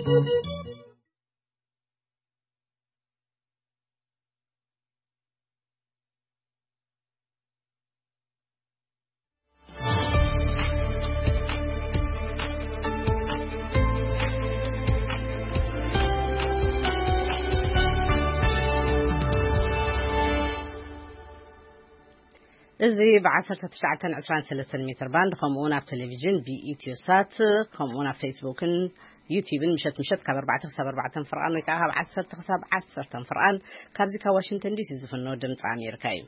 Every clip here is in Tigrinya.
እዚ ብ1923 ሜትር ባንድ፣ ከምኡ እውን ኣብ ቴሌቪዥን ብኢትዮ ሳት፣ ከምኡ እውን ኣብ ፌስቡክን ዩቲዩብን ምሸት ምሸት ካብ ኣርባዕተ ክሳብ ኣርባዕተ ፍርቓን ወይ ከዓ ካብ ዓሰርተ ክሳብ ዓሰርተ ፍርቓን ካብዚ ካብ ዋሽንግተን ዲሲ ዝፍኖ ድምፂ ኣሜሪካ እዩ።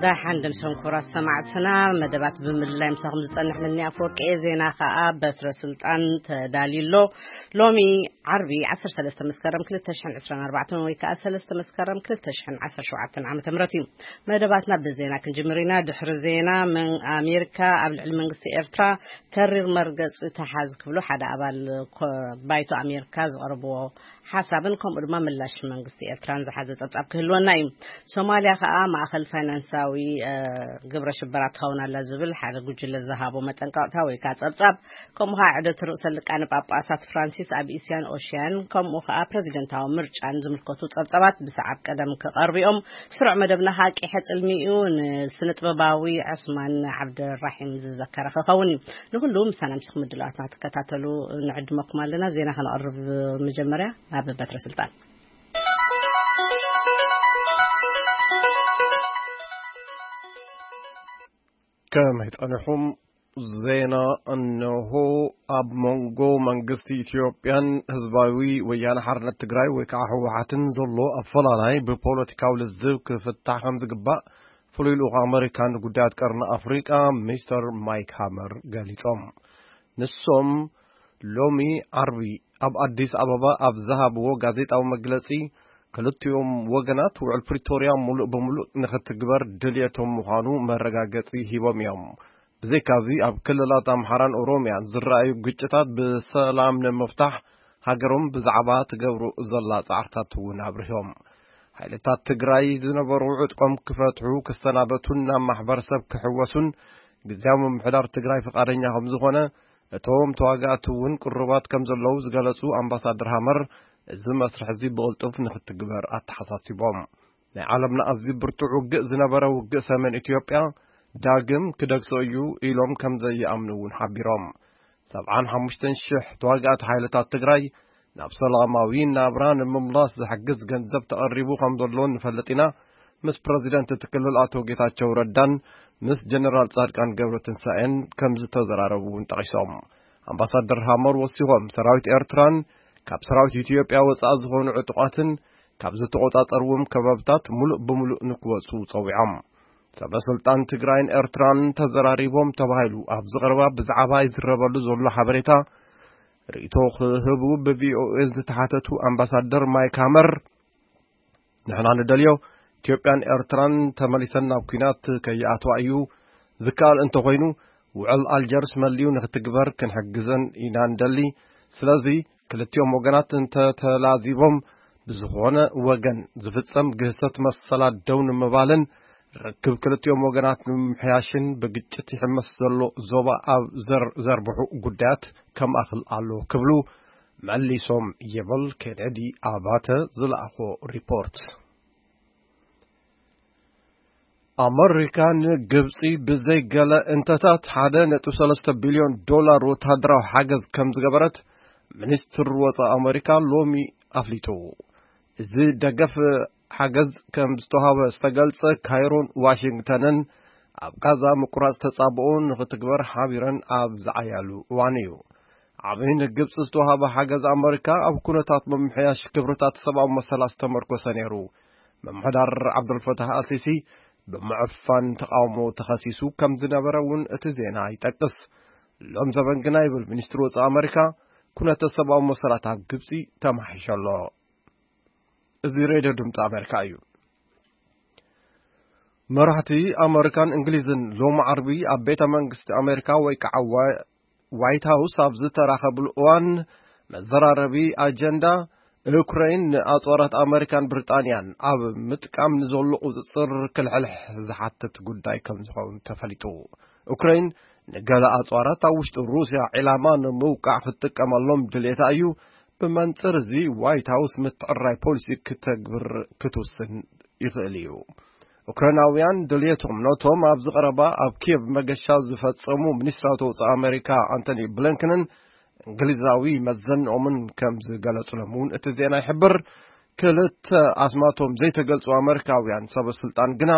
ደሓን ደምሰን ክቡራት ሰማዕትና፣ መደባት ብምልላይ ምሳኹም ዝጸንሕ ምኒ ኣፈወርቂ እየ። ዜና ከኣ በትረ ስልጣን ተዳልዩ ኣሎ። ሎሚ ዓርቢ ዓሰርተ ሰለስተ መስከረም ክልተ ሽሕን ዕስራን ኣርባዕተን ወይ ከኣ ሰለስተ መስከረም ክልተ ሽሕን ዓሰርተ ሸውዓተን ዓመተ ምህረት እዩ። መደባትና ብዜና ክንጅምር ኢና። ድሕሪ ዜና፣ መን-፣ ኣሜሪካ ኣብ ልዕሊ መንግስቲ ኤርትራ ተሪር መርገጺ ተሓዝ ክብሉ ሓደ ኣባል ኮ-፣ ባይቶ ኣሜሪካ ዝቐረብዎ ሓሳብን ከምኡ ድማ ምላሽ መንግስቲ ኤርትራን ዝሓዘ ጸብጻብ ክህልወና እዩ። ሶማልያ ከኣ ማእኸል ፋይናንሳዊ፣ እ፣ ግብረ ሽበራ ትኸውን ኣላ ዝብል ሓደ ጉጅለ ዝሃቦ መጠንቀቕታ ወይ ከኣ ጸብጻብ፣ ከምኡ ከኣ ዕደት ርእሰ ሊቃነ ጳጳሳት ፍራንሲስ ኣብ እስያን ኦሽያን፣ ከምኡ ከኣ ፕረዚደንታዊ ምርጫን ዝምልከቱ ጸብጻባት ብሰዓብ ቀደም ክቐርቡ እዮም። ስሩዕ መደብና ከኣ ቂሐ ጽልሚ እዩ። ንስነ ጥበባዊ ዑስማን ዓብደራሒም ዝዘከረ ክኸውን እዩ። ንኹሉ ምሳና ምስኹም ምድላዋትና ክትከታተሉ ንዕድመኩም ኣለና። ዜና ከነቕርብ መጀመርያ ናብ በትረ ስልጣን። ከመይ ጸኒሑም? ዜና እነሆ። ኣብ መንጎ መንግስቲ ኢትዮጵያን ህዝባዊ ወያነ ሓርነት ትግራይ ወይ ከዓ ህወሓትን ዘሎ ኣፈላላይ ብፖለቲካዊ ልዝብ ክፍታሕ ከም ዝግባእ ፍሉይ ልኡኽ ኣመሪካ ንጉዳያት ቀርኒ ኣፍሪቃ ሚስተር ማይክ ሃመር ገሊጾም። ንሶም ሎሚ ዓርቢ ኣብ ኣዲስ ኣበባ ኣብ ዝሃብዎ ጋዜጣዊ መግለጺ፣ ክልቲኦም ወገናት ውዕል ፕሪቶርያ ሙሉእ ብሙሉእ ንኽትግበር ድልየቶም ምዃኑ መረጋገጺ ሂቦም እዮም። ብዘይካዚ ኣብ ክልላት ኣምሓራን ኦሮሚያን ዝረኣዩ ግጭታት ብሰላም ንምፍታሕ ሃገሮም ብዛዕባ ትገብሮ ዘላ ጻዕርታት እውን ኣብሪሆም። ሓይልታት ትግራይ ዝነበሩ ዕጥቆም ክፈትሑ፣ ክሰናበቱን ናብ ማሕበረሰብ ክሕወሱን ግዝያዊ ምምሕዳር ትግራይ ፍቓደኛ ከም ዝኾነ፣ እቶም ተዋጋእቲ እውን ቅሩባት ከም ዘለዉ ዝገለጹ ኣምባሳደር ሃመር፣ እዚ መስርሕ እዚ ብቕልጡፍ ንክትግበር ኣተሓሳሲቦም። ናይ ዓለምና ኣዝዩ ብርቱዕ ውግእ ዝነበረ ውግእ ሰሜን ኢትዮጵያ ዳግም ክደግሶ እዩ ኢሎም ከም ዘይኣምኑ እውን ሓቢሮም። ሰብዓን ሓሙሽተን ሽሕ ተዋጋእቲ ሓይልታት ትግራይ ናብ ሰላማዊ ናብራ ንምምላስ ዝሕግዝ ገንዘብ ተቐሪቡ ከም ዘሎ ንፈልጥ ኢና። ምስ ፕረዚደንት እቲ ክልል ኣቶ ጌታቸው ረዳን ምስ ጀነራል ጻድቃን ገብረትንሳኤን ከም ዝተዘራረቡ እውን ጠቒሶም። ኣምባሳደር ሃመር ወሲኾም፣ ሰራዊት ኤርትራን ካብ ሰራዊት ኢትዮጵያ ወጻኢ ዝኾኑ ዕጡቓትን ካብ ዝተቖጻጸርዎም ከባብታት ሙሉእ ብሙሉእ ንክወጹ ጸዊዖም። ሰበ ስልጣን ትግራይን ኤርትራን ተዘራሪቦም ተባሂሉ ኣብ ዝቐረባ ብዛዕባ ይዝረበሉ ዘሎ ሓበሬታ ርእይቶ ክህቡ ብ ቪ ኦ ኤ ዝተሓተቱ ኣምባሳደር ማይክ ሃመር፣ ንሕና ንደልዮ ኢትዮጵያን ኤርትራን ተመሊሰን ናብ ኲናት ከይኣትዋ እዩ። ዝከኣል እንተኾይኑ ውዕል ኣልጀርስ መሊኡ ንክትግበር ክንሕግዘን ኢና ንደሊ። ስለዚ ክልቲኦም ወገናት እንተተላዚቦም ብዝኾነ ወገን ዝፍጸም ግህሰት መሰላት ደው ንምባልን ርክብ ክልቲኦም ወገናት ንምምሕያሽን ብግጭት ይሕመስ ዘሎ ዞባ ኣብ ዘር-፣ ዘርብሑ ጉዳያት ከማእኽል ኣሎ ክብሉ መሊሶም ይብል ኬኔዲ ኣባተ ዝለኣኾ ሪፖርት። ኣመሪካ ንግብጺ ብዘይ ገለ እንተታት ሓደ ነጥቢ ሰለስተ ቢልዮን ዶላር ወተሃደራዊ ሓገዝ ከም ዝገበረት ሚኒስትር ወጻኢ ኣመሪካ ሎሚ ኣፍሊጡ። እዚ ደገፍ ሓገዝ ከም ዝተዋህበ ዝተገልጸ ካይሮን ዋሽንግተንን ኣብ ጋዛ ምቁራጽ ተጻብኦ ንኽትግበር ሓቢረን ኣብ ዝዓያሉ እዋን እዩ። ዓቢ ንግብጺ ዝተዋህበ ሓገዝ ኣመሪካ ኣብ ኩነታት ምምሕያሽ ክብርታት ሰብኣዊ መሰላት ዝተመርኮሰ ነይሩ። ምምሕዳር ዓብደልፈታህ ኣልሲሲ ብምዕፋን ተቓውሞ ተኸሲሱ ከም ዝነበረ እውን እቲ ዜና ይጠቅስ። ሎም ዘበን ግና ይብል ሚኒስትሪ ወጻኢ ኣመሪካ፣ ኩነተ ሰብኣዊ መሰላት ኣብ ግብጺ ተማሒሾ ኣሎ። እዚ ሬድዮ ድምፂ ኣሜሪካ እዩ። መራሕቲ ኣመሪካን እንግሊዝን ሎሚ ዓርቢ ኣብ ቤተ መንግስቲ ኣሜሪካ ወይ ከዓ ዋ-፣ ዋይት ሃውስ ኣብ ዝተራኸብሉ እዋን መዘራረቢ ኣጀንዳ ዩክሬን ንኣጽዋራት ኣመሪካን ብሪጣንያን ኣብ ምጥቃም ንዘሎ ቁጽጽር ክልሕልሕ ዝሓትት ጉዳይ ከም ዝኸውን ተፈሊጡ። ዩክሬን ንገለ ኣጽዋራት ኣብ ውሽጢ ሩስያ ዒላማ ንምውቃዕ ክትጥቀመሎም ድሌታ እዩ። ብመንጽር እዚ ዋይት ሃውስ ምትዕራይ ፖሊሲ ክተግብር ክትውስን ይኽእል እዩ። ዩክሬናውያን ድልየቶም ነቶም ኣብዚ ቀረባ ኣብ ኪየቭ መገሻ ዝፈጸሙ ሚኒስትራዊ ወጻኢ ኣመሪካ ኣንቶኒ ብሊንከንን እንግሊዛዊ መዘንኦምን ከም ዝገለጹሎም እውን እቲ ዜና ይሕብር። ክልተ ኣስማቶም ዘይተገልጹ ኣመሪካውያን ሰበ ስልጣን ግና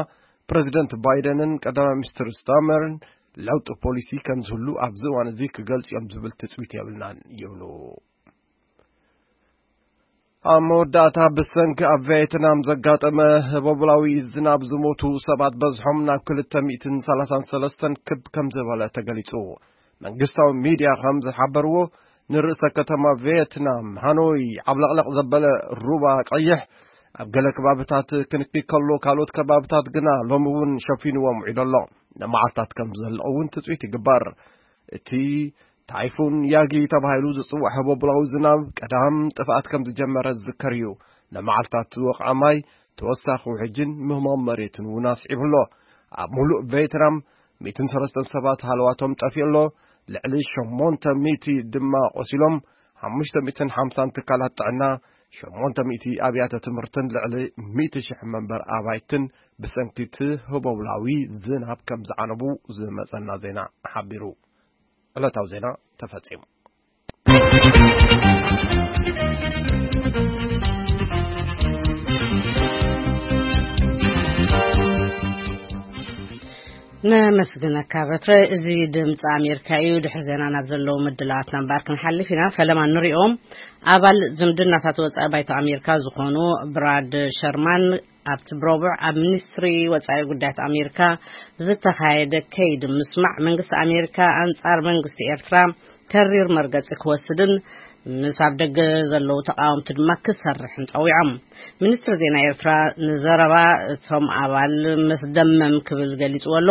ፕረዚደንት ባይደንን ቀዳማይ ሚኒስትር ስታመርን ለውጢ ፖሊሲ ከም ዝህሉ ኣብዚ እዋን እዚ ክገልጹ እዮም ዝብል ትጽቢት የብልናን ይብሉ። ኣብ መወዳእታ ብሰንኪ ኣብ ቬትናም ዘጋጠመ ህቦብላዊ ዝናብ ዝሞቱ ሰባት በዝሖም ናብ ክልተ ሚእትን ሰላሳን ሰለስተን ክብ ከም ዝበለ ተገሊጹ። መንግስታዊ ሚድያ ከም ዝሓበርዎ ንርእሰ ከተማ ቬትናም ሃኖይ ዓብለቕለቕ ዘበለ ሩባ ቀይሕ ኣብ ገለ ከባብታት ክንኪ ከሎ ካልኦት ከባብታት ግና ሎሚ እውን ሸፊንዎም ውዒሉ ኣሎ። ንመዓልታት ከም ዝዘልቕ እውን ትጽቢት ይግበር። እቲ ታይፉን ያጊ ተባሂሉ ዝጽዋዕ ህቦብላዊ ዝናብ ቀዳም ጥፍኣት ከም ዝጀመረ ዝዝከር እዩ። ንመዓልታት ዝወቕዐ ማይ ተወሳኺ ውሕጅን ምህማም መሬትን እውን ኣስዒቡ ኣሎ። ኣብ ሙሉእ ቬትናም ሚእትን ሰለስተን ሰባት ሃለዋቶም ጠፊኡ ኣሎ። ልዕሊ ሸሞንተ ሚእቲ ድማ ቆሲሎም፣ ሓሙሽተ ሚእትን ሓምሳን ትካላት ጥዕና፣ ሸሞንተ ሚእቲ ኣብያተ ትምህርትን ልዕሊ ሚእቲ ሽሕ መንበር ኣባይትን ብሰንኪ እቲ ህቦብላዊ ዝናብ ከም ዝዓነቡ ዝመጸና ዜና ሓቢሩ። ዕለታዊ ዜና ተፈጺሙ። ነመስግነካ በትረ። እዚ ድምፂ ኣሜሪካ እዩ። ድሕሪ ዜና ናብ ዘለዉ ምድላዋትና እምበኣር ክንሓልፍ ኢና። ፈለማ ንሪኦም። ኣባል ዝምድናታት ወፃኢ ባይቶ ኣሜሪካ ዝኾኑ ብራድ ሸርማን ኣብቲ ብረቡዕ ኣብ ሚኒስትሪ ወፃኢ ጉዳያት ኣሜሪካ ዝተኻየደ ከይዲ ምስማዕ መንግስቲ ኣሜሪካ ኣንፃር መንግስቲ ኤርትራ ተሪር መርገፂ ክወስድን ምስ ኣብ ደገ ዘለዉ ተቃወምቲ ድማ ክሰርሕን ፀዊዖም። ሚኒስትሪ ዜና ኤርትራ ንዘረባ እቶም ኣባል መስደመም ክብል ገሊፅዎ ኣሎ።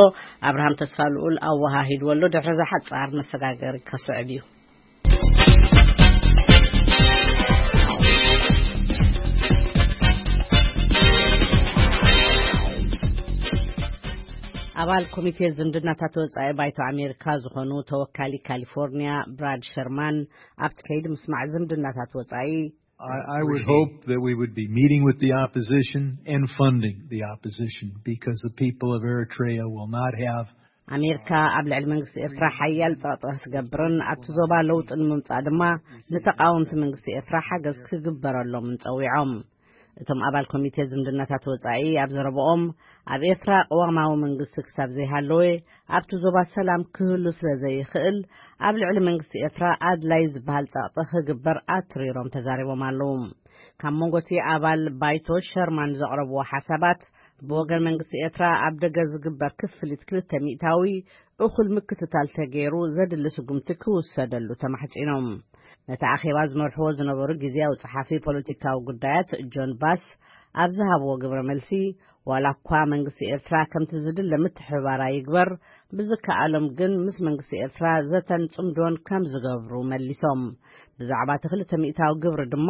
ኣብርሃም ተስፋ ልኡል ኣወሃሂድዎ ኣሎ። ድሕሪ እዚ ሓፃር መሰጋገሪ ከስዕብ እዩ። ኣባል ኮሚቴ ዝምድናታት ወጻኢ ባይቶ ኣሜሪካ ዝኾኑ ተወካሊ ካሊፎርኒያ ብራድ ሸርማን ኣብቲ ከይዲ ምስማዕ ዝምድናታት ወጻኢ I, I would hope that we would be meeting with the opposition and funding the opposition because the people of Eritrea will not have ኣሜሪካ ኣብ ልዕሊ መንግስቲ ኤርትራ ሓያል ጸቕጢ ክትገብርን ኣብቲ ዞባ ለውጢ ንምምጻእ ድማ ንተቓወምቲ መንግስቲ ኤርትራ ሓገዝ ክግበረሎምን ጸዊዖም። እቶም ኣባል ኮሚቴ ዝምድናታት ወጻኢ ኣብ ዘረብኦም ኣብ ኤርትራ ቅዋማዊ መንግስቲ ክሳብ ዘይሃለወ ኣብቲ ዞባ ሰላም ክህሉ ስለ ዘይኽእል ኣብ ልዕሊ መንግስቲ ኤርትራ ኣድላይ ዝበሃል ጸቕጢ ክግበር ኣትሪሮም ተዛሪቦም ኣለዉ። ካብ መንጎ እቲ ኣባል ባይቶ ሸርማን ዘቕረብዎ ሓሳባት ብወገን መንግስቲ ኤርትራ ኣብ ደገ ዝግበር ክፍሊት ክልተ ሚእታዊ እኹል ምክትታል ተገይሩ ዘድሊ ስጉምቲ ክውሰደሉ ተማሕጺኖም። ነቲ ኣኼባ ዝመርሕዎ ዝነበሩ ግዜያዊ ጸሓፊ ፖለቲካዊ ጉዳያት ጆን ባስ ኣብ ዝሃብዎ ግብረ መልሲ ዋላ እኳ መንግስቲ ኤርትራ ከምቲ ዝድለ ምትሕብባር ኣይግበር፣ ብዝከኣሎም ግን ምስ መንግስቲ ኤርትራ ዘተን ጽምዶን ከም ዝገብሩ መሊሶም። ብዛዕባ እቲ ክልተ ሚእታዊ ግብሪ ድማ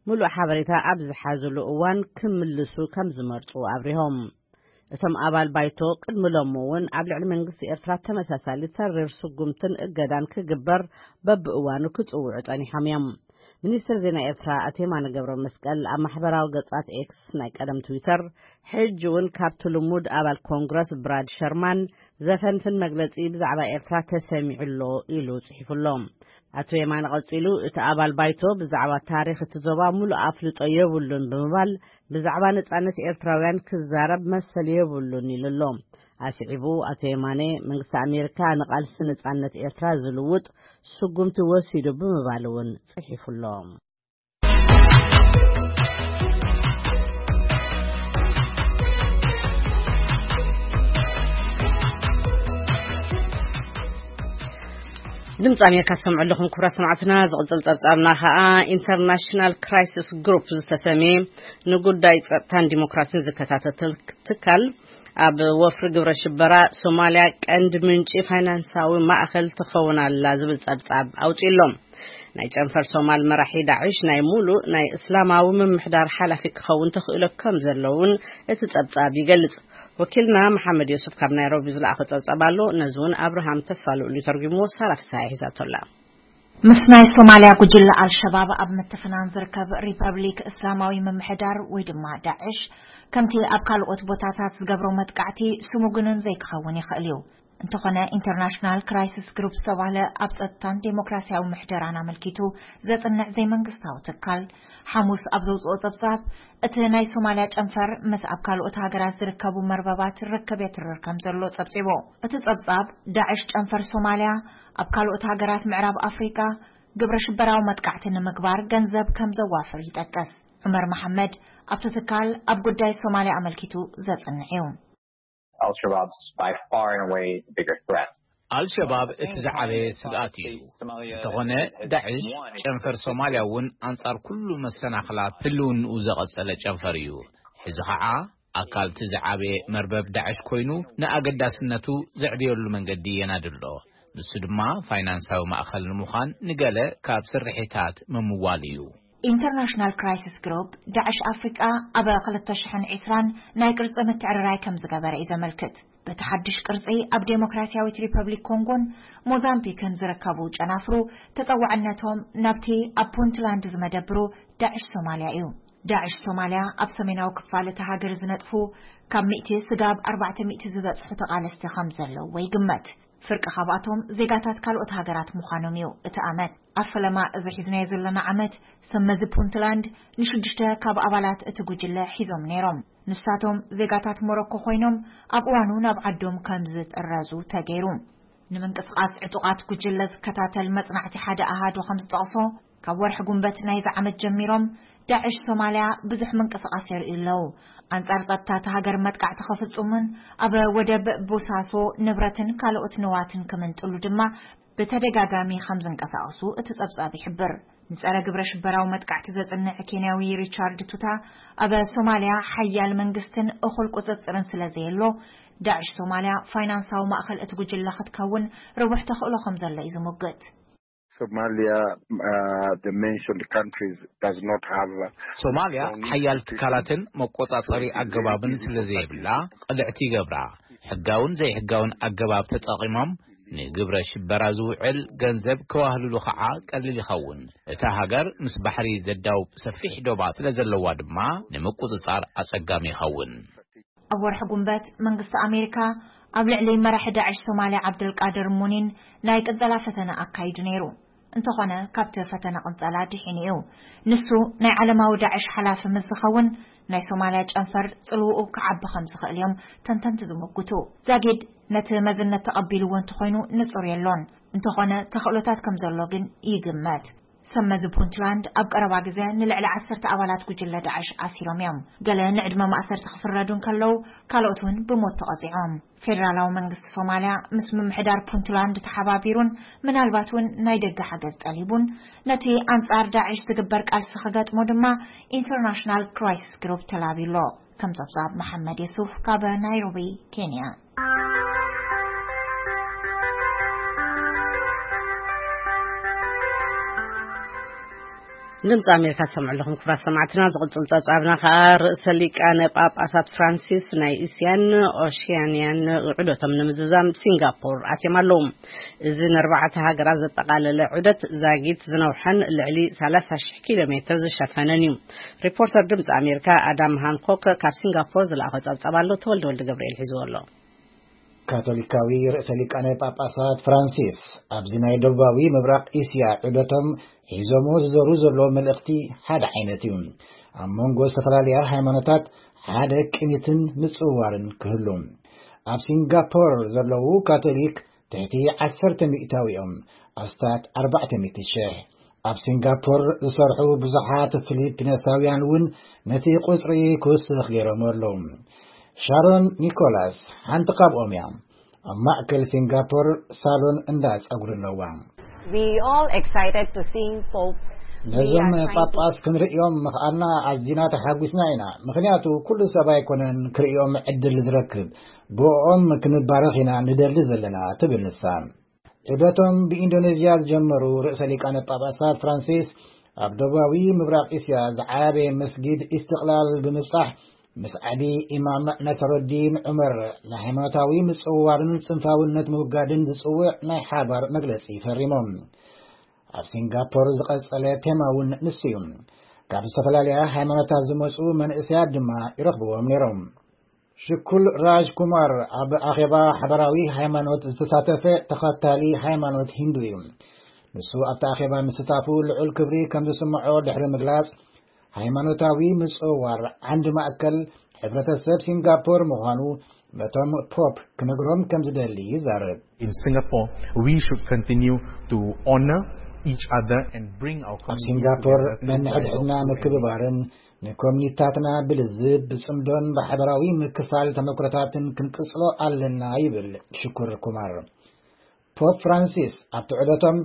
ምሉእ ሓበሬታ ኣብ ዝሓዝሉ እዋን ክምልሱ ከም ዝመርጹ ኣብሪሆም። እቶም ኣባል ባይቶ ቅድሚ ሎሚ እውን ኣብ ልዕሊ መንግስቲ ኤርትራ ተመሳሳሊ ተሪር ስጉምትን እገዳን ክግበር በብእዋኑ ክጽውዑ ጸኒሖም እዮም። ሚኒስትር ዜና ኤርትራ ኣቶ የማነ ገብረ መስቀል ኣብ ማሕበራዊ ገጻት ኤክስ፣ ናይ ቀደም ትዊተር፣ ሕጂ እውን ካብቲ ልሙድ ኣባል ኮንግረስ ብራድ ሸርማን ዘፈንፍን መግለጺ ብዛዕባ ኤርትራ ተሰሚዑ ኣሎ ኢሉ ጽሒፉ ኣሎ። ኣቶ የማነ ቀጺሉ፣ እቲ ኣባል ባይቶ ብዛዕባ ታሪኽ እቲ ዞባ ሙሉእ ኣፍልጦ የብሉን ብምባል፣ ብዛዕባ ነጻነት ኤርትራውያን ክዛረብ መሰል የብሉን ኢሉ ኣሎ። ኣስዒቡ ኣቶ የማነ፣ መንግስቲ ኣሜሪካ ንቓልሲ ነጻነት ኤርትራ ዝልውጥ ስጉምቲ ወሲዱ ብምባል እውን ጽሒፉ ኣሎ። ድምፂ ኣሜሪካ ዝሰምዑ ኣለኹም ክቡራት ሰማዕትና። ዝቕፅል ፀብፃብና ከዓ ኢንተርናሽናል ክራይሲስ ግሩፕ ዝተሰምየ ንጉዳይ ፀጥታን ዲሞክራሲን ዝከታተል ትካል ኣብ ወፍሪ ግብረ ሽበራ ሶማልያ ቀንዲ ምንጪ ፋይናንሳዊ ማእኸል ትኸውን ኣላ ዝብል ፀብፃብ ኣውፂኡ ኣሎ። ናይ ጨንፈር ሶማል መራሒ ዳዕሽ ናይ ሙሉእ ናይ እስላማዊ ምምሕዳር ሓላፊ ክኸውን ተኽእሎ ከም ዘለውን እቲ ጸብጻብ ይገልጽ። ወኪልና መሓመድ ዮሱፍ ካብ ናይሮቢ ዝለኣኸ ጸብጻብ ኣሎ። ነዚ እውን ኣብርሃም ተስፋ ልኡል ተርጉምዎ፣ ሳራ ፍስሃ ሒዛቶ ኣላ። ምስ ናይ ሶማልያ ጉጅለ ኣልሸባብ ኣብ ምትፍናን ዝርከብ ሪፐብሊክ እስላማዊ ምምሕዳር ወይ ድማ ዳዕሽ፣ ከምቲ ኣብ ካልኦት ቦታታት ዝገብሮ መጥቃዕቲ ስሙግንን ዘይክኸውን ይኽእል እዩ። እንተኾነ፣ ኢንተርናሽናል ክራይሲስ ግሩፕ ዝተባህለ ኣብ ጸጥታን ዴሞክራሲያዊ ምሕደራን ኣመልኪቱ ዘጽንዕ ዘይመንግስታዊ ትካል፣ ሓሙስ ኣብ ዘውጽኦ ጸብጻብ፣ እቲ ናይ ሶማልያ ጨንፈር ምስ ኣብ ካልኦት ሃገራት ዝርከቡ መርበባት ርክብ የትርር ከም ዘሎ ጸብጺቡ። እቲ ጸብጻብ፣ ዳዕሽ ጨንፈር ሶማልያ ኣብ ካልኦት ሃገራት ምዕራብ ኣፍሪቃ ግብረ ሽበራዊ መጥቃዕቲ ንምግባር ገንዘብ ከም ዘዋፍር ይጠቅስ። ዑመር መሓመድ ኣብቲ ትካል ኣብ ጉዳይ ሶማልያ ኣመልኪቱ ዘጽንዕ እዩ። Al-Shabaab's by far and away the bigger threat. ኣልሸባብ እቲ ዝዓበየ ስግኣት እዩ። እንተኾነ፣ ዳዕሽ ጨንፈር ሶማልያ እውን ኣንጻር ኩሉ መሰናኽላት ህልውንኡ ዘቐጸለ ጨንፈር እዩ። ሕዚ ኸዓ ኣካል እቲ ዝዓበየ መርበብ ዳዕሽ ኮይኑ፣ ንኣገዳስነቱ ዘዕብየሉ መንገዲ የናድሎ። ንሱ ድማ ፋይናንሳዊ ማእኸል ንምዃን ንገለ ካብ ስርሒታት ምምዋል እዩ። ኢንተርናሽናል ክራይሲስ ግሩፕ፣ ዳዕሽ ኣፍሪቃ ኣብ ክልተ ሽሕን ዕስራን ናይ ቅርጺ ምትዕርራይ ከም ዝገበረ እዩ ዘመልክት። በቲ ሓድሽ ቅርጺ፣ ኣብ ዴሞክራሲያዊት ሪፐብሊክ ኮንጎን ሞዛምቢክን ዝርከቡ ጨናፍሩ ተጸዋዕነቶም ናብቲ ኣብ ፑንትላንድ ዝመደብሩ ዳዕሽ ሶማልያ እዩ። ዳዕሽ ሶማልያ ኣብ ሰሜናዊ ክፋል እታ ሃገር ዝነጥፉ ካብ ሚእቲ ስጋብ ኣርባዕተ ሚእቲ ዝበጽሑ ተቓለስቲ ከም ዘለዉ ይግመት። ፍርቂ ካብኣቶም ዜጋታት ካልኦት ሃገራት ምዃኖም እዩ እቲ ኣመት። ኣብ ፈለማ እዚ ሒዝናዮ ዘለና ዓመት፣ ሰብ መዚ ፑንትላንድ ንሽዱሽተ ካብ ኣባላት እቲ ጉጅለ ሒዞም ነይሮም። ንሳቶም ዜጋታት ሞሮኮ ኮይኖም፣ ኣብ እዋኑ ናብ ዓዶም ከም ዝጥረዙ ተገይሩ። ንምንቅስቓስ ዕጡቓት ጉጅለ ዝከታተል መጽናዕቲ ሓደ ኣሃዱ ከም ዝጠቕሶ፣ ካብ ወርሒ ጉንበት ናይዚ ዓመት ጀሚሮም፣ ዳዕሽ ሶማልያ ብዙሕ ምንቅስቓስ የርእዩ ኣለዉ። ኣንጻር ጸጥታ እታ ሃገር መጥቃዕቲ ክፍጽሙን ኣብ ወደብ ቦሳሶ ንብረትን ካልኦት ንዋትን ክምንጥሉ ድማ ብተደጋጋሚ ከም ዝንቀሳቐሱ እቲ ጸብጻብ ይሕብር። ንጸረ ግብረ ሽበራዊ መጥቃዕቲ ዘጽንዕ ኬንያዊ ሪቻርድ ቱታ፣ ኣብ ሶማልያ ሓያል መንግስትን እኹል ቁጽጽርን ስለ ዘየሎ፣ ዳዕሽ ሶማልያ ፋይናንሳዊ ማእከል እቲ ጉጅለ ክትከውን ርቡሕ ተኽእሎ ከም ዘሎ እዩ ዝሙግት። Somalia, uh, the mentioned countries does not have, uh, ሶማልያ ሓያል ትካላትን መቆጻጸሪ ኣገባብን ስለ ዘየብላ፣ ቅልዕቲ ይገብራ። ሕጋውን ዘይሕጋውን ኣገባብ ተጠቒሞም ንግብረ ሽበራ ዝውዕል ገንዘብ ከዋህልሉ ኸዓ ቀሊል ይኸውን። እታ ሃገር ምስ ባሕሪ ዘዳውብ ሰፊሕ ዶባት ስለ ዘለዋ ድማ ንምቁጽጻር ኣጸጋሚ ይኸውን። ኣብ ወርሒ ጉንበት፣ መንግስቲ ኣሜሪካ ኣብ ልዕሊ መራሒ ዳዕሽ ሶማልያ ዓብደልቃድር ሙኒን ናይ ቅንጸላ ፈተነ ኣካይዱ ነይሩ። እንተኾነ፣ ካብቲ ፈተነ ቅንጸላ ድሒኑ እዩ። ንሱ ናይ ዓለማዊ ዳዕሽ ሓላፊ ምስ ዝኸውን፣ ናይ ሶማልያ ጨንፈር ጽልውኡ ክዓቢ ከም ዝኽእል እዮም ተንተንቲ ዝምጉቱ። ዛጊድ ነቲ መዝነት ተቐቢልዎ እንተኾይኑ ንጹር የሎን። እንተኾነ፣ ተኽእሎታት ከም ዘሎ ግን ይግመት። ሰብ መዚ ፑንትላንድ ኣብ ቀረባ ግዜ ንልዕሊ ዓሰርተ ኣባላት ጉጅለ ዳዕሽ ኣሲሮም እዮም። ገለ ንዕድመ ማእሰርቲ ክፍረዱ እንከለዉ፣ ካልኦት እውን ብሞት ተቐጺዖም። ፌደራላዊ መንግስቲ ሶማልያ ምስ ምምሕዳር ፑንትላንድ ተሓባቢሩን ምናልባት እውን ናይ ደገ ሓገዝ ጠሊቡን፣ ነቲ ኣንጻር ዳዕሽ ዝግበር ቃልሲ ክገጥሞ ድማ ኢንተርናሽናል ክራይሲስ ግሩፕ ተላብዩ ኣሎ። ከም ጸብጻብ መሓመድ የሱፍ ካብ ናይሮቢ፣ ኬንያ። ድምፂ ኣሜሪካ ትሰምዑ ኣለኹም ክቡራት ሰማዕትና። ዝቕፅል ፀብፃብና ከዓ ርእሰ ሊቃነ ጳጳሳት ፍራንሲስ ናይ እስያን ኦሽያንያን ዑደቶም ንምዝዛም ሲንጋፖር ኣትዮም ኣለዉ። እዚ ንኣርባዕተ ሃገራት ዘጠቓለለ ዑደት ዛጊት ዝነውሐን ልዕሊ ሰላሳ ሺሕ ኪሎ ሜትር ዝሸፈነን እዩ። ሪፖርተር ድምፂ ኣሜሪካ ኣዳም ሃንኮክ ካብ ሲንጋፖር ዝለኣኾ ፀብፃብ ኣሎ። ተወልደ ወልደ ገብርኤል ሒዝዎ ኣሎ። ካቶሊካዊ ርእሰ ሊቃነ ጳጳሳት ፍራንሲስ ኣብዚ ናይ ደቡባዊ ምብራቕ እስያ ዑደቶም ሒዞሞ ዝዞሩ ዘሎ መልእኽቲ ሓደ ዓይነት እዩ። ኣብ መንጎ ዝተፈላለያ ሃይማኖታት ሓደ ቅኒትን ምጽውዋርን ክህሉ። ኣብ ሲንጋፖር ዘለዉ ካቶሊክ ትሕቲ ዓሰርተ ሚእታዊ እዮም፣ ኣስታት ኣርባዕተ ሚእቲ ሽሕ። ኣብ ሲንጋፖር ዝሰርሑ ብዙሓት ፊሊፒነሳውያን እውን ነቲ ቁጽሪ ክውስኽ ገይሮም ኣለዉ። ሻሮን ኒኮላስ ሓንቲ ካብኦም እያ። ኣብ ማእከል ሲንጋፖር ሳሎን እንዳ ጸጉሪ ኣለዋ። We all excited to seeing Pope ነዞም Leo trying to ጳጳስ ክንርእዮም ምኽኣልና ኣዚና ተሓጒስና ኢና። ምኽንያቱ ኩሉ ሰብ ኣይኮነን ክርእዮም ዕድል ዝረክብ። ብኦም ክንባረኽ ኢና ንደሊ ዘለና ትብል ንሳ። ዑደቶም ብኢንዶኔዥያ ዝጀመሩ ርእሰ ሊቃነ ጳጳሳት ፍራንሲስ፣ ኣብ ደቡባዊ ምብራቕ እስያ ዝዓበየ መስጊድ ኢስትቕላል ብምብጻሕ፣ ምስ ዓቢ ኢማም ናሰሩዲን ዑመር ንሃይማኖታዊ ምጽውዋርን ጽንፋውነት ምውጋድን ዝጽውዕ ናይ ሓባር መግለጺ ፈሪሞም። ኣብ ሲንጋፖር ዝቐጸለ ቴማ እውን ንሱ እዩ። ካብ ዝተፈላለያ ሃይማኖታት ዝመጹ መንእሰያት ድማ ይረኽብዎም ነይሮም። ሽኩል ራጅ ኩማር ኣብ ኣኼባ ሓበራዊ ሃይማኖት ዝተሳተፈ ተኸታሊ ሃይማኖት ሂንዱ እዩ። ንሱ ኣብቲ ኣኼባ ምስታፉ ልዑል ክብሪ ከም ዝስምዖ ድሕሪ ምግላጽ፣ ሃይማኖታዊ ምጽዋር ዓንዲ ማእከል ሕብረተሰብ ሲንጋፖር ምዃኑ ነቶም ፖፕ ክነግሮም ከም ዝደሊ ይዛረብ። In Singapore, we should continue to honor each other and bring our ኣብ communities ሲንጋፖር ነንሕድሕድና ምክብባርን ንኮሚኒታትና ብልዝብ ብጽምዶን ብሓበራዊ ምክፋል ተመክሮታትን ክንቅጽሎ ኣለና ይብል ሽኩር ኩማር። ፖፕ ፍራንሲስ ኣብቲ ዑደቶም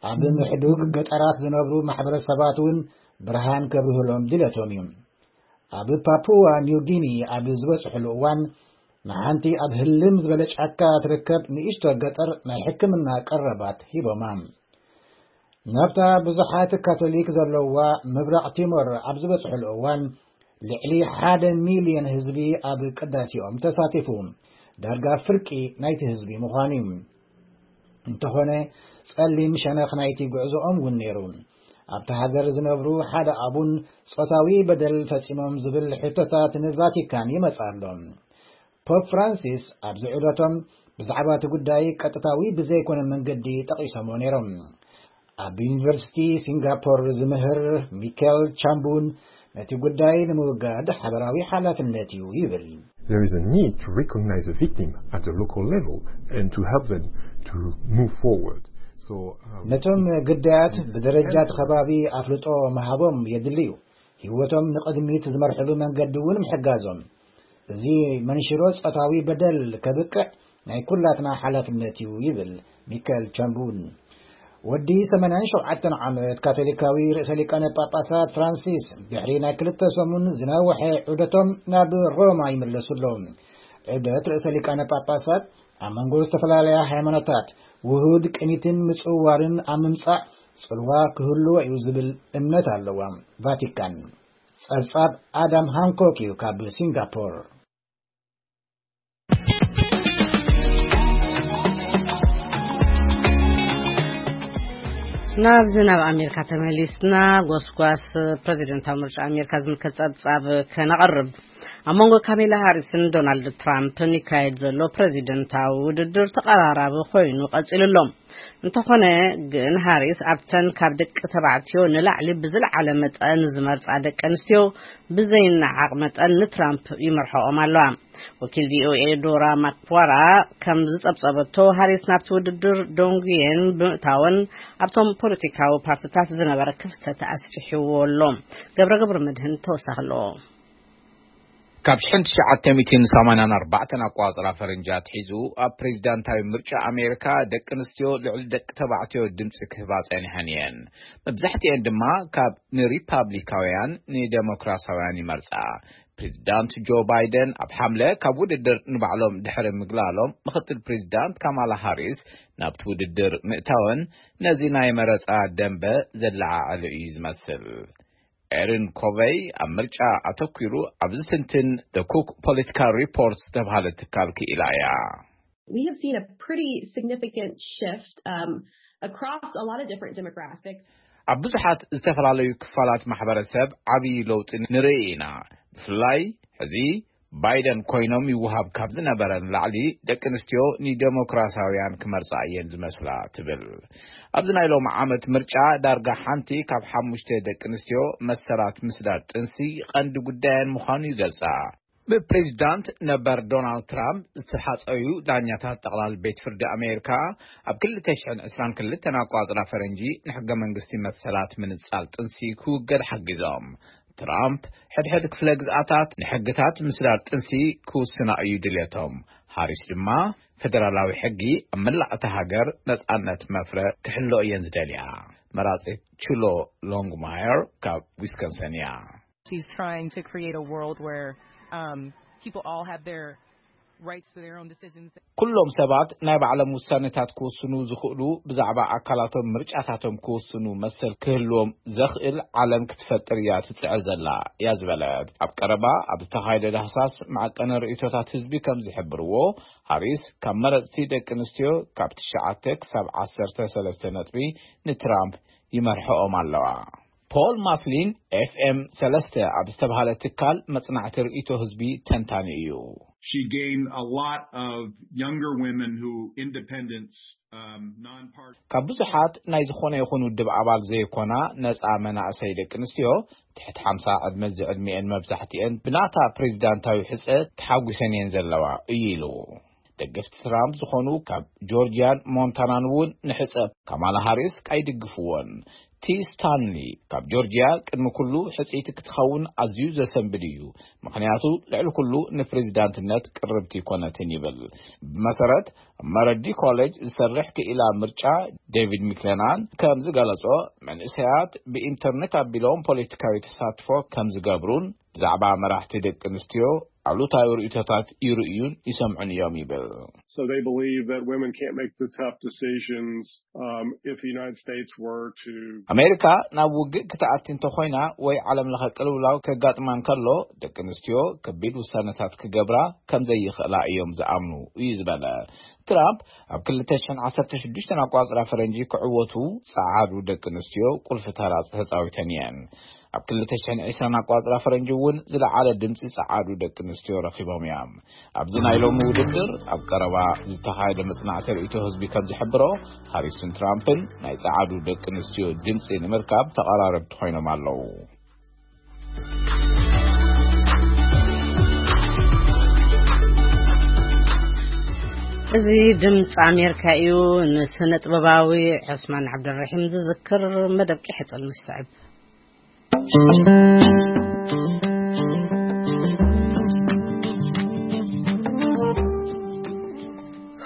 ኣብ ምሕዱግ ገጠራት ዝነብሩ ማሕበረሰባት እውን ብርሃን ከብርህሎም ድለቶም እዩ። ኣብ ፓፑዋ ኒው ጊኒ ኣብ ዝበጽሕሉ እዋን ንሓንቲ ኣብ ህልም ዝበለ ጫካ ትርከብ ንእሽቶ ገጠር ናይ ሕክምና ቀረባት ሂቦማ። ናብታ ብዙሓት ካቶሊክ ዘለዋ ምብራቕ ቲሞር ኣብ ዝበጽሕሉ እዋን ልዕሊ ሓደ ሚልዮን ህዝቢ ኣብ ቅዳሴኦም ተሳቲፉ። ዳርጋ ፍርቂ ናይቲ ህዝቢ ምዃኑ እዩ። እንተኾነ ጸሊም ሸነኽ ናይቲ ጉዕዞኦም እውን ነይሩ። ኣብቲ ሃገር ዝነብሩ ሓደ ኣቡን ጾታዊ በደል ፈጺሞም ዝብል ሕቶታት ንቫቲካን ይመጽእ ኣሎ። ፖፕ ፍራንሲስ ኣብዚ ዑደቶም ብዛዕባ እቲ ጉዳይ ቀጥታዊ ብዘይኮነ መንገዲ ጠቒሶምዎ ነይሮም። ኣብ ዩኒቨርሲቲ ሲንጋፖር ዝምህር ሚካኤል ቻምቡን ነቲ ጉዳይ ንምውጋድ ሓበራዊ ሓላፍነት እዩ ይብል። There is a need to recognize the victim at the local level and to help them to move forward. So, uh, ነቶም ግዳያት ብደረጃ እቲ ከባቢ ኣፍልጦ ምሃቦም የድሊ እዩ። ህይወቶም ንቕድሚት ዝመርሕሉ መንገዲ እውን ምሕጋዞም። እዚ መንሽሮ ጾታዊ በደል ከብቅዕ ናይ ኩላትና ሓላፍነት እዩ ይብል ሚካኤል ቻምቡን። ወዲ ሰማንያን ሸውዓተን ዓመት ካቶሊካዊ ርእሰ ሊቃነ ጳጳሳት ፍራንሲስ ድሕሪ ናይ ክልተ ሰሙን ዝነውሐ ዑደቶም ናብ ሮማ ይምለሱ ኣለዉ። ዑደት ርእሰ ሊቃነ ጳጳሳት ኣብ መንጎ ዝተፈላለያ ሃይማኖታት ውሁድ ቅኒትን ምጽውዋርን ኣብ ምምጻእ ጽልዋ ክህልዎ እዩ ዝብል እምነት ኣለዋ ቫቲካን። ጸብጻብ ኣዳም ሃንኮክ እዩ ካብ ሲንጋፖር። ናብዚ ናብ ኣሜሪካ ተመሊስና፣ ጎስጓስ ፕሬዚደንታዊ ምርጫ ኣሜሪካ ዝምልከት ጸብጻብ ከነቕርብ። ኣብ መንጎ ካሜላ ሃሪስን ዶናልድ ትራምፕን ይካየድ ዘሎ ፕሬዚደንታዊ ውድድር ተቐራራቢ ኮይኑ ቀጺሉ ኣሎ። እንተኾነ ግን ሃሪስ ኣብተን ካብ ደቂ ተባዕትዮ ንላዕሊ ብዝለዓለ መጠን ዝመርጻ ደቂ ኣንስትዮ ብዘይነዓቕ መጠን ንትራምፕ ይመርሖኦም ኣለዋ። ወኪል ቪኦኤ ዶራ ማክዋራ ከም ዝጸብጸበቶ ሃሪስ ናብቲ ውድድር ዶንጉየን ብምእታወን ኣብቶም ፖለቲካዊ ፓርቲታት ዝነበረ ክፍተት ኣስፊሕዎ ኣሎ። ገብረ ገብረ መድህን ተወሳኺ ኣለዎ። ካብ ሽሕን ትሽዓተ ሚእትን ሰማንያን ኣርባዕተን ኣቋጽራ ፈረንጂ ኣትሒዙ ኣብ ፕሬዚዳንታዊ ምርጫ ኣሜሪካ ደቂ ኣንስትዮ ልዕሊ ደቂ ተባዕትዮ ድምፂ ክህባ ጸኒሐን እየን። መብዛሕትኤን ድማ ካብ ንሪፓብሊካውያን ንደሞክራሳውያን ይመርጻ። ፕሬዚዳንት ጆ ባይደን ኣብ ሓምለ ካብ ውድድር ንባዕሎም ድሕሪ ምግላሎም ምኽትል ፕሬዚዳንት ካማላ ሃሪስ ናብቲ ውድድር ምእታወን ነዚ ናይ መረጻ ደንበ ዘለዓዓለ እዩ ዝመስል። ኤሪን ኮቨይ ኣብ ምርጫ ኣተኲሩ ኣብ ዝትንትን The Cook Political Report ዝተባህለ ትካል ክኢላ እያ። We have seen a pretty significant shift um, across a lot of different demographics. ኣብ ብዙሓት ዝተፈላለዩ ክፋላት ማሕበረሰብ ዓብዪ ለውጢ ንርኢ ኢና። ብፍላይ ሕዚ ባይደን ኮይኖም ይወሃብ ካብ ዝነበረ ንላዕሊ ደቂ ኣንስትዮ ንደሞክራሲያውያን ክመርጻ እየን ዝመስላ ትብል። ኣብዚ ናይ ሎሚ ዓመት ምርጫ ዳርጋ ሓንቲ ካብ ሓሙሽተ ደቂ ኣንስትዮ መሰላት ምስዳድ ጥንሲ ቀንዲ ጉዳየን ምዃኑ ይገልጻ። ብፕሬዚዳንት ነበር ዶናልድ ትራምፕ ዝተሓጸዩ ዳኛታት ጠቕላል ቤት ፍርዲ ኣሜሪካ ኣብ ክልተ ሽሕን ዕስራን ክልተን ኣቋጽራ ፈረንጂ ንሕገ መንግስቲ መሰላት ምንጻል ጥንሲ ክውገድ ሓጊዞም። ትራምፕ ሕድሕድ ክፍለ ግዝኣታት ንሕግታት ምስዳር ጥንሲ ክውስና እዩ ድልየቶም። ሃሪስ ድማ ፈደራላዊ ሕጊ ኣብ መላእ እታ ሃገር ነጻነት መፍረ ክሕሎ እየን ዝደልያ። መራጺት ቹሎ ሎንግማየር ካብ ዊስኮንሰን እያ። She's trying to create a world where um, people all have their rights to their own decisions. ኩሎም ሰባት ናይ ባዕሎም ውሳነታት ክወስኑ ዝኽእሉ፣ ብዛዕባ ኣካላቶም ምርጫታቶም ክወስኑ መሰል ክህልዎም ዘኽእል ዓለም ክትፈጥር እያ ትጽዕር ዘላ እያ ዝበለት። ኣብ ቀረባ ኣብ ዝተኻየደ ዳህሳስ መዐቀኒ ርእይቶታት ህዝቢ ከም ዝሕብርዎ፣ ሃሪስ ካብ መረጽቲ ደቂ ኣንስትዮ ካብ ትሽዓተ ክሳብ ዓሰርተ ሰለስተ ነጥቢ ንትራምፕ ይመርሕኦም ኣለዋ። ፖል ማስሊን ኤፍ ኤም ሰለስተ ኣብ ዝተባህለ ትካል መጽናዕቲ ርእይቶ ህዝቢ ተንታኒ እዩ። She gained a lot of younger women who independents, um, non-partisan ካብ ብዙሓት ናይ ዝኾነ ይኹን ውድብ ኣባል ዘይኮና ነጻ መናእሰይ ደቂ ኣንስትዮ ትሕቲ ሓምሳ ዕድመ ዝዕድሚኤን መብዛሕትኤን ብናታ ፕሬዚዳንታዊ ሕጸ ተሓጒሰን እየን ዘለዋ እዩ ኢሉ። ደገፍቲ ትራምፕ ዝኾኑ ካብ ጆርጂያን ሞንታናን እውን ንሕጸ ካማላ ሃሪስ ኣይድግፍዎን። ቲ ስታንሊ ካብ ጆርጂያ ቅድሚ ኩሉ ሕጽይቲ ክትኸውን ኣዝዩ ዘሰንብድ እዩ፣ ምኽንያቱ ልዕሊ ኩሉ ንፕሬዚዳንትነት ቅርብቲ ይኮነትን ይብል። ብመሰረት ኣብ መረዲ ኮሌጅ ዝሰርሕ ክኢላ ምርጫ ዴቪድ ሚክለናን ከም ዝገለጾ፣ መንእሰያት ብኢንተርኔት ኣቢሎም ፖለቲካዊ ተሳትፎ ከም ዝገብሩን ብዛዕባ መራሕቲ ደቂ ኣንስትዮ ኣሉታዊ ርእይቶታት ይርእዩን ይሰምዑን እዮም ይብል። So they believe that women can't make the tough decisions, um, if the United States were to ኣሜሪካ ናብ ውግእ ክትኣቲ እንተኾይና ወይ ዓለም ለኸ ቅልውላው ከጋጥማ እንከሎ፣ ደቂ ኣንስትዮ ከቢድ ውሳነታት ክገብራ ከም ዘይኽእላ እዮም ዝኣምኑ እዩ ዝበለ ትራምፕ፣ ኣብ ክልተ ሽሕን ዓሰርተ ሽዱሽተን ኣቋጽራ ፈረንጂ ክዕወቱ ጸዓዱ ደቂ ኣንስትዮ ቁልፊ ተራ ተጻዊተን እየን። ኣብ ክልተ ሽሕን ዕስራን ኣቋጽራ ፈረንጂ እውን ዝለዓለ ድምጺ ጸዓዱ ደቂ ኣንስትዮ ረኺቦም እዮም። ኣብዚ ናይ ሎሚ ውድድር ኣብ ቀረባ ዝተኻየደ መጽናዕቲ ርእይቶ ህዝቢ ከም ዝሕብሮ፣ ሃሪስን ትራምፕን ናይ ጸዓዱ ደቂ ኣንስትዮ ድምጺ ንምርካብ ተቐራረብቲ ኮይኖም ኣለዉ። እዚ ድምፂ ኣሜሪካ እዩ። ንስነ ጥበባዊ ዑስማን ዓብደልረሒም ዝዝክር መደብ ቂሐ ጽልሚ ዝስዕብ።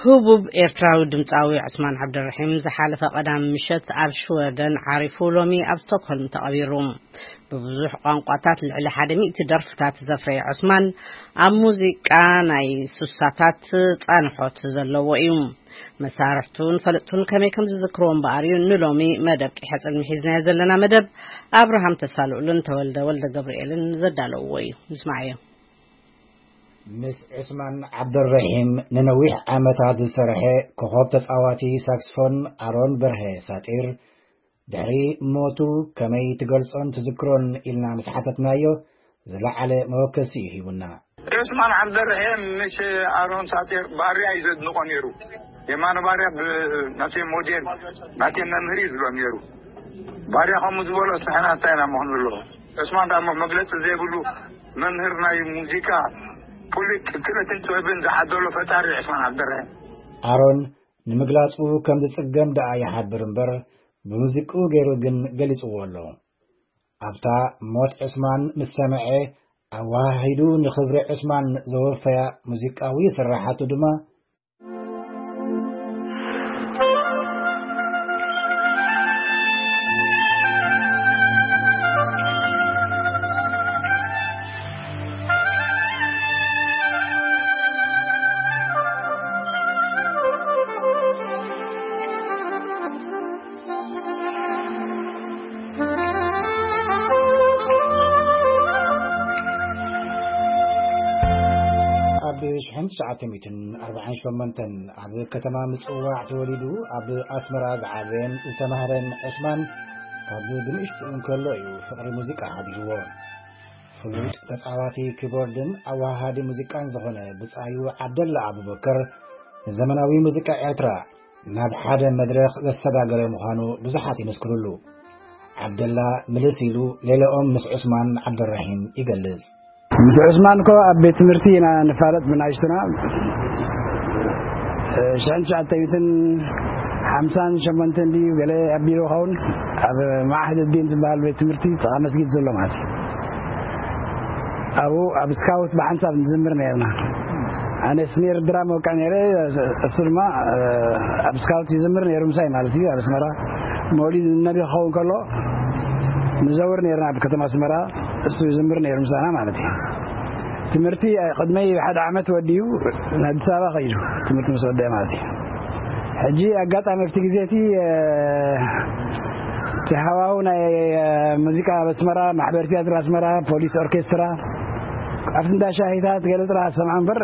ህቡብ ኤርትራዊ ድምፃዊ ዑስማን ዓብደልረሒም ዝሓለፈ ቀዳም ምሸት ኣብ ሽወደን ዓሪፉ ሎሚ ኣብ ስቶክሆልም ተቐቢሩ። ብብዙሕ ቋንቋታት ልዕሊ ሓደ ሚእቲ ደርፍታት ዘፍረየ ዑስማን፣ ኣብ ሙዚቃ ናይ ሱሳታት ጻንሖት ዘለዎ እዩ። መሳርሕቱን ፈለጥቱን ከመይ ከም ዝዝክርዎ እምበኣር እዩ ንሎሚ መደብ ቂሐ ጽልሚ ሒዝናዮ ዘለና መደብ ኣብርሃም ተሳልኡልን ተወልደ ወልደ ገብርኤልን ዘዳለውዎ እዩ። ንስማዓዮ። ምስ ዑስማን ዓብደልረሒም ንነዊሕ ዓመታት ዝሰርሐ ኮኾብ ተጻዋቲ ሳክስፎን ኣሮን በርሀ ሳጢር፣ ድሕሪ ሞቱ ከመይ ትገልጾን ትዝክሮን ኢልና ምስ ሓተትናዮ፣ ዝለዓለ መወከሲ እዩ ሂቡና። ዑስማን ዓብደልረሒም ምስ ኣሮን ሳጢር ባርያ እዩ ዘድንቖ ነይሩ። የማነ ባርያ ብ-፣ ናተይ ሞዴል፣ ናተይ መምህር እዩ ዝብሎ ነይሩ። ባርያ ከምኡ ዝበሎ ንሕና እንታይ ኢና መሆን ዘለዎ? ዑስማን ዳሞ መግለጺ ዘይብሉ መምህር ናይ ሙዚቃ፣ ፍሉጥ ክእለትን ጥበብን ዝዓደሎ ፈጣሪ ዑስማን ዓብደልረሒም። ኣሮን ንምግላጹ ከም ዝጽገም ደኣ ይሓብር እምበር፣ ብሙዚቅኡ ገይሩ ግን ገሊጽዎ ኣሎ። ኣብታ ሞት ዑስማን ምስ ሰምዐ፣ ኣወሃሂዱ ንኽብሪ ዑስማን ዘወፈያ ሙዚቃዊ ስራሓቱ ድማ፣ ኣብ ሽሕን ትሽዓተ ሚእትን ኣርባዓን ሸሞንተን ኣብ ከተማ ምጽዋዕ ተወሊዱ ኣብ ኣስመራ ዝዓበየን ዝተማህረን ዑስማን፣ ካብ ብንእሽቱ እንከሎ እዩ ፍቕሪ ሙዚቃ ሓዲርዎ። ፍሉጥ ተጻዋቲ ኪቦርድን ኣወሃሃዲ ሙዚቃን ዝኾነ ብጻዩ ዓብደላ ኣቡበከር፣ ንዘመናዊ ሙዚቃ ኤርትራ ናብ ሓደ መድረኽ ዘሰጋገረ ምዃኑ ብዙሓት ይመስክሩሉ። ዓብደላ ምልስ ኢሉ ሌላኦም ምስ ዑስማን ዓብደራሂም ይገልጽ። ምስ ዑስማን እኮ ኣብ ቤት ትምህርቲ ኢና ንፋለጥ ብናይሽቱና። ሽሕን ትሽዓተ ሚእትን ሓምሳን ሸሞንተን ድዩ ገለ ኣቢሉ ኸውን፣ ኣብ ማዕህድ ዲን ዝበሃል ቤት ትምህርቲ ጥቓ መስጊድ ዘሎ ማለት እዩ። ኣብኡ ኣብ ስካውት ብሓንሳብ ንዝምር ነርና። ኣነ ስኔር ድራም ወቃ ነይረ፣ እሱ ድማ፣ እ፣ ኣብ ስካውት ይዝምር ነይሩ ምሳይ ማለት እዩ። ኣብ ኣስመራ መውሊድ ነቢ ክኸውን ከሎ ንዘውር ነርና ኣብ ከተማ ኣስመራ፣ እሱ ይዝምር ነይሩ ምሳና ማለት እዩ። ትምህርቲ ቅድመይ ሓደ ዓመት ወዲኡ ንኣዲስ ኣበባ ከይዱ ትምህርቲ ምስ ወደአ ማለት እዩ። ሕጂ ኣጋጣሚ ኣብቲ ግዜ እቲ እቲ ሃዋሁ ናይ ሙዚቃ ኣብ ኣስመራ፣ ማሕበር ቲያትር ኣስመራ፣ ፖሊስ ኦርኬስትራ፣ ኣብቲ እንዳ ሻሂታት ገለ ጥራሕ ሰምዓ እምበር፣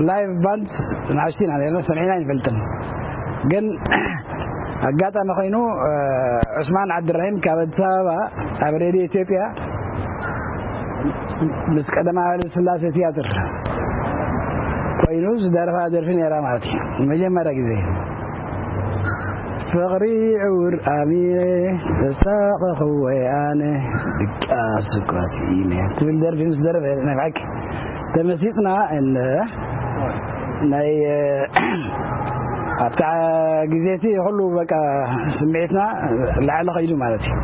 ላይቭ ባንድ ንኣሽቱ ኢና ነርና፣ ሰሚዕና ኣይንፈልጥን። ግን ኣጋጣሚ ኮይኑ ዑስማን ዓብድራሂም ካብ ኣዲስ ኣበባ ኣብ ሬድዮ ኢትዮጵያ ምስ ቀደማዊ ኃይለ ሥላሴ ቲያትር ኮይኑ ዝደረፋ ደርፊ ነይራ ማለት እዩ። መጀመርያ ግዜ ፍቕሪ ዕውር ኣሚረ ተሳቐኹ ወይ ኣነ ድቃስ እኳ ስኢነ ትብል ደርፊ ምስ ደረፈ ናይ ብሓቂ ተመሲጥና። እንደ ናይ ኣብታ ግዜ እቲ ኩሉ በቃ ስምዒትና ላዕሊ ከይዱ ማለት እዩ።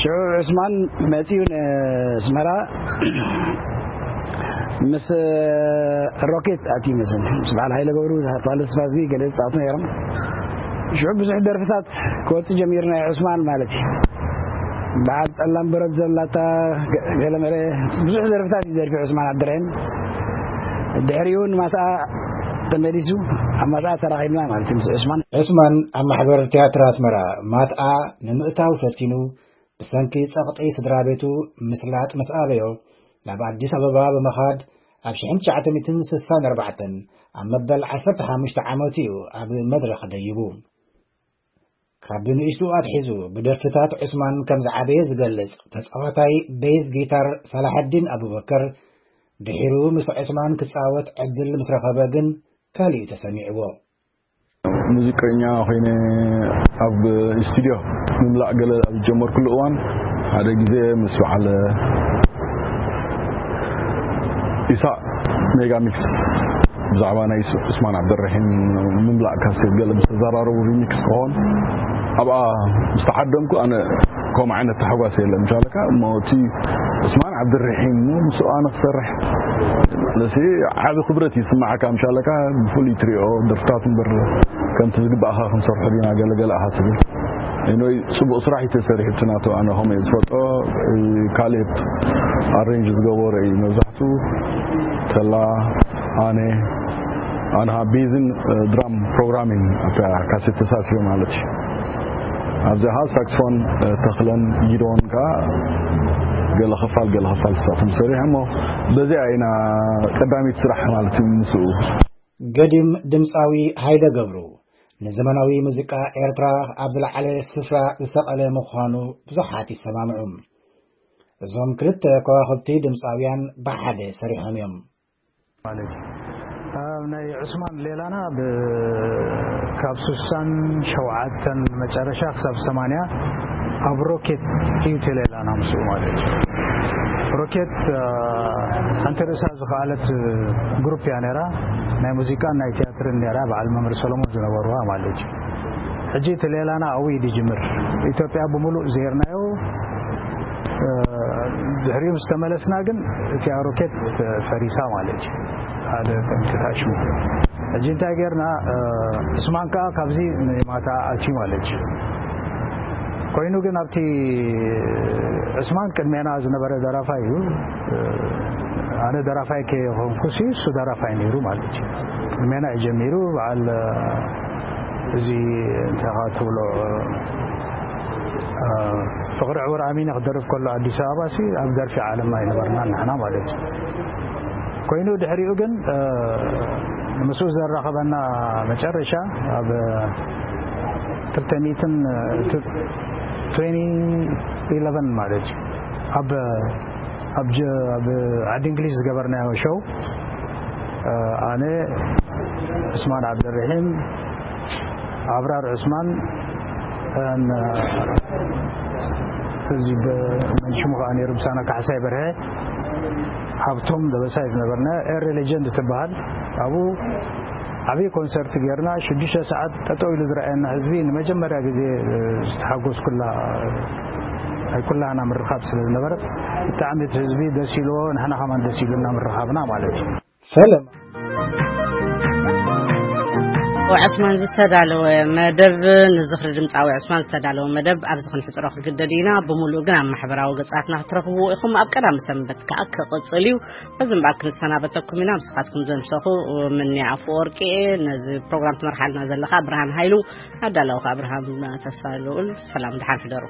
ሽዑ ዑስማን መጺኡ ንስመራ ምስ ሮኬት ኣትዩ መስል ምስ በዓል ሃይለ ገብሩ ዝሃጥዋለ ስፋዝጊ ገለ ዝጻወቱ ነይሮም። ሽዑ ብዙሕ ደርፍታት ክወጽእ ጀሚሩ ናይ ዑስማን ማለት እዩ። በዓል ጸላም ብረት ዘላታ ገለመለ ብዙሕ ደርፍታት እዩ ደርፊ ዑስማን ዓብድራሂም። ድሕሪኡ ንማትኣ ተመሊሱ ኣብ ማትኣ ተራኺብና ማለት እዩ ምስ ዑስማን። ዑስማን ኣብ ማሕበር ቲያትር ኣስመራ ማትኣ ንምእታው ፈቲኑ ብሰንኪ ጸቕጢ ስድራ ቤቱ ምስላጥ ምስ ኣበዮ ናብ ኣዲስ ኣበባ ብምኻድ ኣብ ሽሕን ትሽዓተ ሚእትን ስሳን ኣርባዕተን ኣብ መበል ዓሰርተ ሓሙሽተ ዓመቱ እዩ ኣብ መድረኽ ደይቡ። ካብ ንእሽቱ ኣትሒዙ ብደርፍታት ዑስማን ከም ዝዓበየ ዝገልጽ ተጻዋታይ ቤዝ ጊታር ሳላሐዲን ኣቡበከር፣ ድሒሩ ምስ ዑስማን ክጻወት ዕድል ምስ ረኸበ ግን ካልእ እዩ ተሰሚዕዎ። ሙዚቀኛ ኮይነ ኣብ ስቱድዮ ምምላእ ገለ ኣብ ዝጀመርኩሉ እዋን ሓደ ግዜ ምስ በዓል ኢሳቅ ሜጋ ሚክስ ብዛዕባ ናይ ዑስማን ዓብደረሒም ምምላእ ካሴት ገለ ምስ ተዘራረቡ ሪሚክስ ክኾን ኣብኣ ምስ ተሓደምኩ ኣነ ከምኡ ዓይነት ተሓጓስ የለን ምሻለካ እሞ እቲ ዑስማን ዓብደረሒም እሞ ምስኡ ኣነ ክሰርሕ ለሲ ዓቢ ክብረት ይስማዓካ ምሻለካ ብፍሉይ ትሪኦ ደርፍታት እምበር ከምቲ ዝግባእኻ ክንሰርሖ ዲና ገለገለ ኣኻ ትብል ኢኖይ ጽቡቕ ስራሕ እዩ ተሰሪሑ እቲ ናቱ ኣነ ከምኡ እየ ዝፈልጦ ካሌብ ኣሬንጅ ዝገበሮ እዩ መብዛሕቱ ተላ ኣነ ኣንሃ ቤዝን ድራም ፕሮግራሚን ኣብታ ካሴት ተሳሲሩ ማለት እዩ ኣብዚኣ ሳክስፎን ተኽለን ጊዶን ከዓ ገለ ክፋል ገለ ክፋል ስሳቶም ሰሪሖሞ በዚኣ ኢና ቀዳሚት ስራሕ ማለት እዩ ምስኡ ገዲም ድምፃዊ ሃይለ ገብሩ ንዘመናዊ ሙዚቃ ኤርትራ ኣብ ዝለዓለ ስፍራ ዝሰቐለ ምዃኑ ብዙሓት ይሰማምዑ። እዞም ክልተ ከዋኽብቲ ድምፃውያን ብሓደ ሰሪሖም እዮም። ማለት እዩ። ኣብ ናይ ዑስማን ሌላና ብ- ካብ ስሳን ሸውዓተን መጨረሻ ክሳብ ሰማንያ ኣብ ሮኬት እዩ እቲ ሌላና ምስኡ ማለት እዩ። ሮኬት ሓንቲ ርእሳ ዝኸኣለት ግሩፕ እያ ነራ ናይ ሙዚቃን ናይ ቲያትርን ነራ በዓል መምህር ሰሎሞን ዝነበርዋ ማለት እዩ። ሕጂ እቲ ሌላና ኣብኡ እዩ ዝጅምር። ኢትዮጵያ ብምሉእ ዜርናዮ ድሕሪኡ ምስ ተመለስና ግን እቲኣ ሮኬት ፈሪሳ ማለት እዩ። ሓደ ጠንቂ ታሽሙ ሕጂ እንታይ ጌርና? ዕስማን ከዓ ካብዚ ንማታ ኣትዩ ማለት እዩ። ኮይኑ ግን ኣብቲ ዕስማን ቅድሜና ዝነበረ ደራፋይ እዩ። ኣነ ደራፋይ ከይኮንኩሲ እሱ ደራፋይ ነይሩ ማለት እዩ። ቅድሜና እዩ ጀሚሩ። በዓል እዚ እንታይ ትብሎ ፍቕሪ ዕውር ኣሚነ ክደርፍ ከሎ ኣዲስ ኣበባ ሲ ኣብ ደርፊ ዓለምና ኣይነበርና ንሕና ማለት እዩ። ኮይኑ ድሕሪኡ ግን ምስኡ ዘራኸበና መጨረሻ ኣብ ክልተ ሚእትን ትዌንቲ ኢለቨን ማለት እዩ ኣብ ኣብ ጀ- ኣብ ዓዲ እንግሊዝ ዝገበርናዮ ሾው ኣነ ዑስማን ዓብደርሒም ኣብራር ዑስማን ን- እዚ ብ- መን ሽሙ ከዓ ነይሩ ምሳና ካሕሳይ በርሀ ሃብቶም ደበሳይ ዝነበርና ኤሪ ሌጀንድ ትበሃል ኣብኡ ዓብዪ ኮንሰርት ጌርና ሽዱሽተ ሰዓት ጠጠው ኢሉ ዝረኣየና ህዝቢ ንመጀመርያ ግዜ ዝተሓጎስኩላ ናይ ኩላህና ምርኻብ ስለ ዝነበረት ብጣዕሚ እቲ ህዝቢ ደስ ኢልዎ ንሕና ከማን ደስ ኢሉና ምርኻብና ማለት እዩ። ሰለማ ዕስማን ዝተዳለወ መደብ፣ ንዝኽሪ ድምፃዊ ዕስማን ዝተዳለወ መደብ ኣብዚ ክንሕፅሮ ክግደድ ኢና። ብምሉእ ግን ኣብ ማሕበራዊ ገፃትና ክትረኽብዎ ኢኹም። ኣብ ቀዳሚ ሰንበት ከዓ ክቕፅል እዩ። በዚ እምበኣር ክንሰናበተኩም ኢና። ንስኻትኩም ዘምሰኹ ምንያ ኣፈወርቂ፣ ነዚ ፕሮግራም ትመርሓልና ዘለኻ ብርሃን ሃይሉ፣ ኣዳላዊ ከዓ ብርሃን ተስፋ ልኡል። ሰላም፣ ደሓን ሕደሩ።